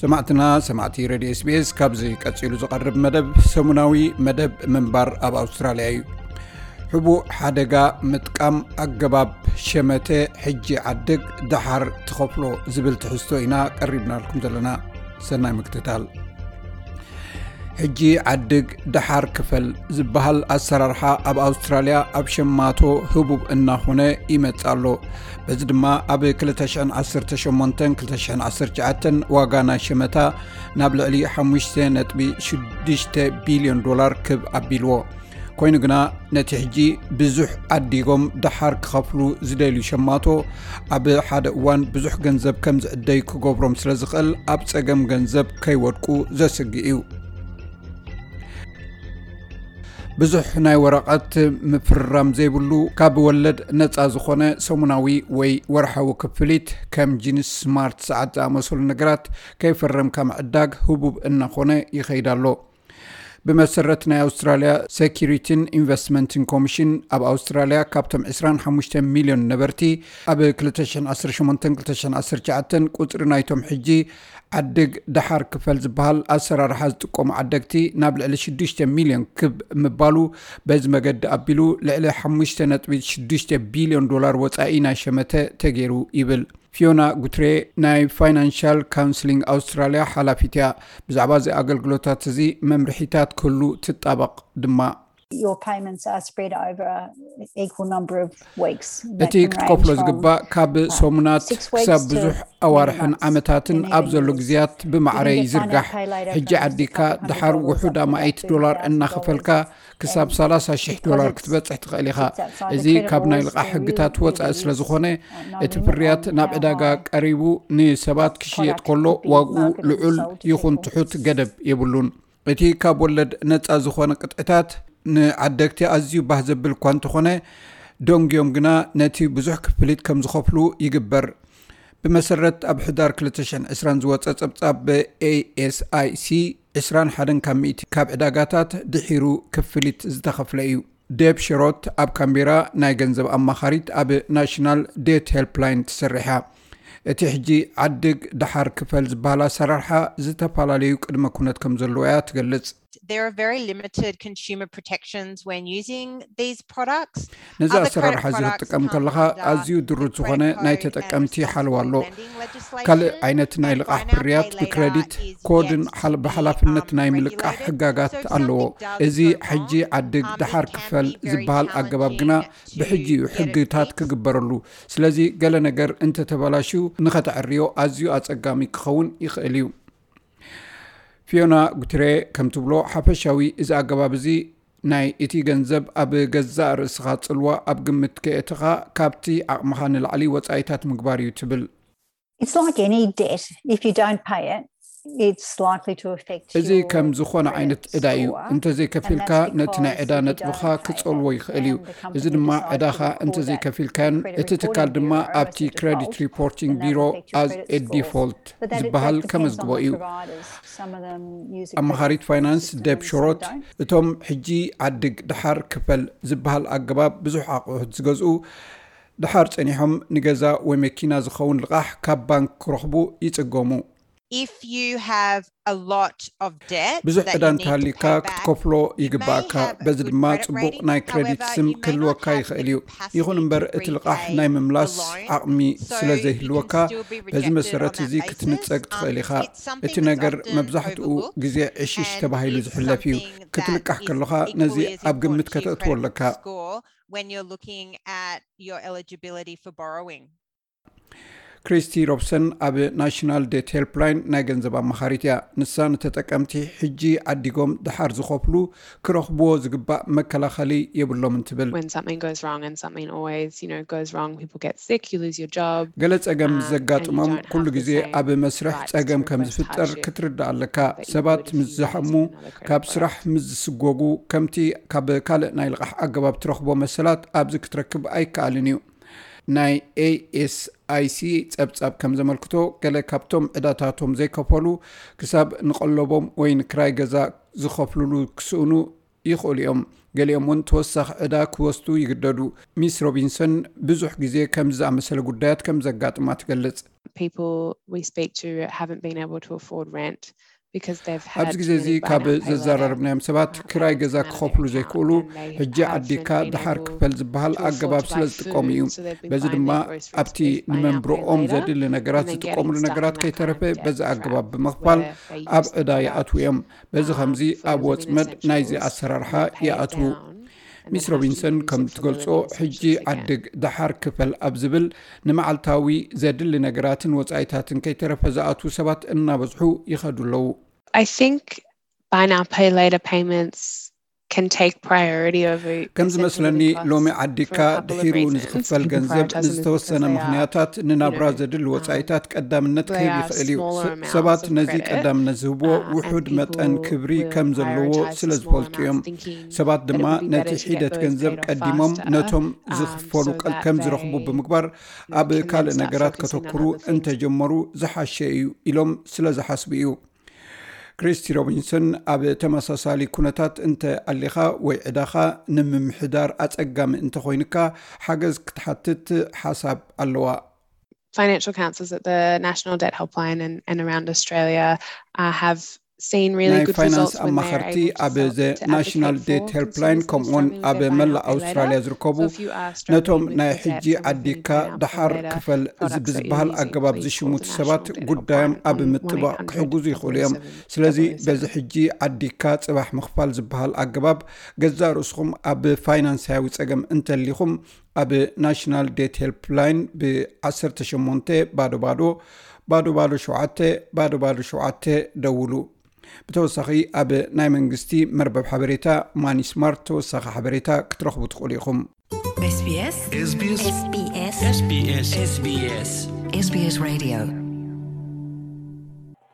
ሰማዕትና ሰማዕቲ ሬድዮ ኤስቢኤስ፣ ካብዚ ቀጺሉ ዝቐርብ መደብ ሰሙናዊ መደብ ምንባር ኣብ ኣውስትራልያ እዩ። ሕቡእ ሓደጋ ምጥቃም፣ ኣገባብ ሸመተ፣ ሕጂ ዓድግ ደሓር ትኸፍሎ ዝብል ትሕዝቶ ኢና ቀሪብናልኩም ዘለና። ሰናይ ምክትታል። ሕጂ ዓድግ ደሓር ክፈል ዝበሃል ኣሰራርሓ ኣብ ኣውስትራልያ ኣብ ሸማቶ ህቡብ እናኾነ ይመጽእ ኣሎ። በዚ ድማ ኣብ ክልተ ሽሕን ዓሰርተ ሸሞንተን ክልተ ሽሕን ዓሰርተ ትሽዓተን ዋጋ ናይ ሸመታ ናብ ልዕሊ ሓሙሽተ ነጥቢ ሽዱሽተ ቢልዮን ዶላር ክብ ኣቢልዎ። ኮይኑ ግና ነቲ ሕጂ ብዙሕ ዓዲጎም ደሓር ክኸፍሉ ዝደልዩ ሸማቶ ኣብ ሓደ እዋን ብዙሕ ገንዘብ ከም ዝዕደዩ ክገብሮም ስለ ዝኽእል ኣብ ጸገም ገንዘብ ከይወድቁ ዘስግእ እዩ። ብዙሕ ናይ ወረቐት ምፍርራም ዘይብሉ ካብ ወለድ ነጻ ዝኾነ ሰሙናዊ ወይ ወርሓዊ ክፍሊት ከም ጂንስ ስማርት ሰዓት ዝኣመሰሉ ነገራት ከይፈረምካ ምዕዳግ ህቡብ እናኾነ ይኸይድ ኣሎ። ብመሰረት ናይ ኣውስትራልያ ሴኪሪቲን ኢንቨስትመንትን ኮሚሽን ኣብ ኣውስትራልያ ካብቶም ዕስራን ሓሙሽተ ሚልዮን ነበርቲ ኣብ ክልተ ሽሕን ዓሰርተ ሸሞንተን ክልተ ሽሕን ዓሰርተ ትሽዓተን ቁጽሪ ናይቶም ሕጂ ዓድግ ደሓር ክፈል ዝበሃል ኣሰራርሓ ዝጥቀሙ ዓደግቲ ናብ ልዕሊ ሽዱሽተ ሚልዮን ክብ ምባሉ በዚ መገዲ ኣቢሉ ልዕሊ ሓሙሽተ ነጥቢ ሽዱሽተ ቢልዮን ዶላር ወጻኢ ናይ ሸመተ ተገይሩ ይብል። ፊዮና ጉትሬ ናይ ፋይናንሻል ካውንስሊንግ ኣውስትራልያ ሓላፊት እያ። ብዛዕባ እዚ ኣገልግሎታት እዚ መምርሒታት ክህሉ ትጣበቕ ድማ። Your payments are spread over an equal number of weeks. እቲ ክትከፍሎ ዝግባእ ካብ ሰሙናት ክሳብ ብዙሕ ኣዋርሕን ዓመታትን ኣብ ዘሎ ግዜያት ብማዕረ ይዝርጋሕ። ሕጂ ዓዲካ ደሓር ውሑድ ኣማኢት ዶላር እናኸፈልካ ክሳብ ሰላሳ ሽሕ ዶላር ክትበጽሕ ትኽእል ኢኻ። እዚ ካብ ናይ ልቓሕ ሕግታት ወጻኢ ስለ ዝኾነ እቲ ፍርያት ናብ ዕዳጋ ቀሪቡ ንሰባት ክሽየጥ ከሎ ዋግኡ ልዑል ይኹን ትሑት ገደብ የብሉን። እቲ ካብ ወለድ ነጻ ዝኾነ ቅጥዕታት ንዓደግቲ ኣዝዩ ባህ ዘብል እኳ እንተኾነ፣ ደንጉዮም ግና ነቲ ብዙሕ ክፍሊት ከም ዝኸፍሉ ይግበር። ብመሰረት ኣብ ሕዳር ክልተ ሽሕን ዕስራን ዝወጸ ጸብጻብ ብኤኤስኣይሲ፣ ዕስራን ሓደን ካብ ሚእቲ ካብ ዕዳጋታት ድሒሩ ክፍሊት ዝተኸፍለ እዩ። ዴብ ሽሮት ኣብ ካምቤራ ናይ ገንዘብ ኣማኻሪት ኣብ ናሽናል ዴት ሄልፕላይን ትሰርሕ እያ። እቲ ሕጂ ዓድግ ደሓር ክፈል ዝበሃል ኣሰራርሓ ዝተፈላለዩ ቅድመ ኩነት ከም ዘለዎ እያ ትገልጽ። There are very limited consumer protections when using these products. ነዚ ኣሰራርሓ እዚ ክትጥቀም ከለኻ ኣዝዩ ድሩት ዝኾነ ናይ ተጠቀምቲ ሓለዋ ኣሎ። ካልእ ዓይነት ናይ ልቓሕ ፍርያት ብክረዲት ኮድን ብሓላፍነት ናይ ምልቃሕ ሕጋጋት ኣለዎ። እዚ ሕጂ ዓድግ ደሓር ክፈል ዝበሃል ኣገባብ ግና ብሕጂ እዩ ሕግታት ክግበረሉ። ስለዚ ገለ ነገር እንተተበላሽዩ ንኸተዕርዮ ኣዝዩ ኣጸጋሚ ክኸውን ይኽእል እዩ። ፊዮና ጉትሬ ከም ትብሎ፣ ሓፈሻዊ እዚ ኣገባብ እዚ ናይ እቲ ገንዘብ ኣብ ገዛእ ርእስኻ ጽልዋ ኣብ ግምት ከየእተኻ ካብቲ ዓቕምኻ ንላዕሊ ወጻኢታት ምግባር እዩ ትብል። It's like any debt. If you don't pay it, it's likely to affect እዚ ከም ዝኾነ ዓይነት ዕዳ እዩ። እንተዘይከፊልካ ነቲ ናይ ዕዳ ነጥብኻ ክጸልዎ ይኽእል እዩ። እዚ ድማ ዕዳኻ እንተዘይከፊልካን እቲ ትካል ድማ ኣብቲ ክረዲት ሪፖርቲንግ ቢሮ ኣዝ ዲፎልት ዝበሃል ከመዝግቦ እዩ። ኣማኻሪት ፋይናንስ ደብ ሾሮት፣ እቶም ሕጂ ዓድግ ደሓር ክፈል ዝበሃል ኣገባብ ብዙሕ ኣቑሑት ዝገዝኡ ደሓር ጸኒሖም ንገዛ ወይ መኪና ዝኸውን ልቓሕ ካብ ባንክ ክረኽቡ ይጽገሙ። If you have a lot of debt, ብዙሕ ዕዳ እንተሃልዩካ ክትከፍሎ ይግባእካ። በዚ ድማ ጽቡቕ ናይ ክረዲት ስም ክህልወካ ይኽእል እዩ። ይኹን እምበር እቲ ልቓሕ ናይ ምምላስ ዓቕሚ ስለ ዘይህልወካ በዚ መሰረት እዚ ክትንጸግ ትኽእል ኢኻ። እቲ ነገር መብዛሕትኡ ግዜ ዕሽሽ ተባሂሉ ዝሕለፍ እዩ። ክትልቃሕ ከለኻ ነዚ ኣብ ግምት ከተእትዎ ኣለካ። When you're looking at your eligibility for borrowing. ክሪስቲ ሮብሰን ኣብ ናሽናል ዴት ሄልፕላይን ናይ ገንዘብ ኣማኻሪት እያ። ንሳ ንተጠቀምቲ ሕጂ ዓዲጎም ደሓር ዝኸፍሉ ክረኽብዎ ዝግባእ መከላኸሊ የብሎምን ትብል። When something goes wrong, and something always, you know, goes wrong, people get sick, you lose your job. ገለ ጸገም ዘጋጥሞም ኩሉ ግዜ ኣብ መስርሕ ጸገም ከም ዝፍጠር ክትርዳእ ኣለካ። ሰባት ምስ ዝሓሙ፣ ካብ ስራሕ ምስ ዝስጎጉ፣ ከምቲ ካብ ካልእ ናይ ልቓሕ ኣገባብ ትረኽቦ መሰላት ኣብዚ ክትረክብ ኣይከኣልን እዩ። ናይ ኤኤስኣይሲ ጸብጻብ ከም ዘመልክቶ፣ ገለ ካብቶም ዕዳታቶም ዘይከፈሉ ክሳብ ንቐለቦም ወይ ንክራይ ገዛ ዝኸፍልሉ ክስእኑ ይኽእሉ እዮም። ገሊኦም እውን ተወሳኺ ዕዳ ክወስዱ ይግደዱ። ሚስ ሮቢንሰን ብዙሕ ግዜ ከምዚ ዝኣመሰለ ጉዳያት ከም ዘጋጥማ ትገልጽ። people we speak to haven't been able to afford rent because they've had ኣብዚ ግዜ እዚ ካብ ዘዘራረብናዮም ሰባት ክራይ ገዛ ክኸፍሉ ዘይክእሉ ሕጂ ዓዲካ ድሓር ክፈል ዝበሃል ኣገባብ ስለ ዝጥቀሙ እዩ። በዚ ድማ ኣብቲ ንመንብሮኦም ዘድሊ ነገራት ዝጥቀምሉ ነገራት ከይተረፈ በዚ ኣገባብ ብምኽፋል ኣብ ዕዳ ይኣትዉ እዮም። በዚ ከምዚ ኣብ ወፅመድ ናይዚ ኣሰራርሓ ይኣትዉ። ሚስ ሮቢንሰን ከም ትገልጾ ሕጂ ዓድግ ደሓር ክፈል ኣብ ዝብል ንመዓልታዊ ዘድሊ ነገራትን ወጻኢታትን ከይተረፈ ዝኣትዉ ሰባት እናበዝሑ ይኸዱ ኣለዉ። I think buy now pay later payments can take priority over ከም ዝመስለኒ ሎሚ ዓዲካ ድሒሩ ንዝኽፈል ገንዘብ ንዝተወሰነ ምኽንያታት ንናብራ ዘድሊ ወጻኢታት ቀዳምነት ክህብ ይኽእል እዩ። ሰባት ነዚ ቀዳምነት ዝህብዎ ውሑድ መጠን ክብሪ ከም ዘለዎ ስለ ዝፈልጡ እዮም። ሰባት ድማ ነቲ ሒደት ገንዘብ ቀዲሞም ነቶም ዝኽፈሉ ከም ዝረኽቡ ብምግባር ኣብ ካልእ ነገራት ከተኩሩ እንተጀመሩ ዝሓሸ እዩ ኢሎም ስለ ዝሓስቡ እዩ። ክሪስቲ ሮቢንሰን ኣብ ተመሳሳሊ ኩነታት እንተ ኣሊኻ ወይ ዕዳኻ ንምምሕዳር ኣጸጋሚ እንተኾይንካ ሓገዝ ክትሓትት ሓሳብ ኣለዋ። Financial counsellors at the National Debt Helpline and, and around Australia uh, have seen really ናይ good ፋይናንስ results when they're ኣማኸርቲ able to ኣብ sell ዘ to ናሽናል advocate ዴት for ሄልፕላይን consumers who are ከምኡውን struggling ኣብ with their መላእ pay later. ኣውስትራልያ ዝርከቡ So if you are ነቶም struggling ናይ with ሕጂ debt, then we can ዓዲካ put out ደሓር better ክፈል products that you ብዝበሃል need ኣገባብ called the ዝሽምቱ National ሰባት Debt ጉዳዮም Helpline ኣብ on ምጥባቕ one eight hundred ክሕግዙ ይኽእሉ እዮም። double oh seven ስለዚ double oh seven. በዚ ሕጂ ዓዲካ ጽባሕ ምኽፋል ዝበሃል ኣገባብ ገዛእ ርእስኹም ኣብ ፋይናንሳዊ ጸገም እንተሊኹም ኣብ ናሽናል ዴት ሄልፕላይን ብ18 ባዶ ባዶ ባዶ ባዶ ሸውዓተ ባዶ ባዶ ሸውዓተ ደውሉ። ብተወሳኺ ኣብ ናይ መንግስቲ መርበብ ሓበሬታ ማኒ ስማርት ተወሳኺ ሓበሬታ ክትረኽቡ ትኽእሉ ኢኹም። SBS SBS SBS SBS SBS Radio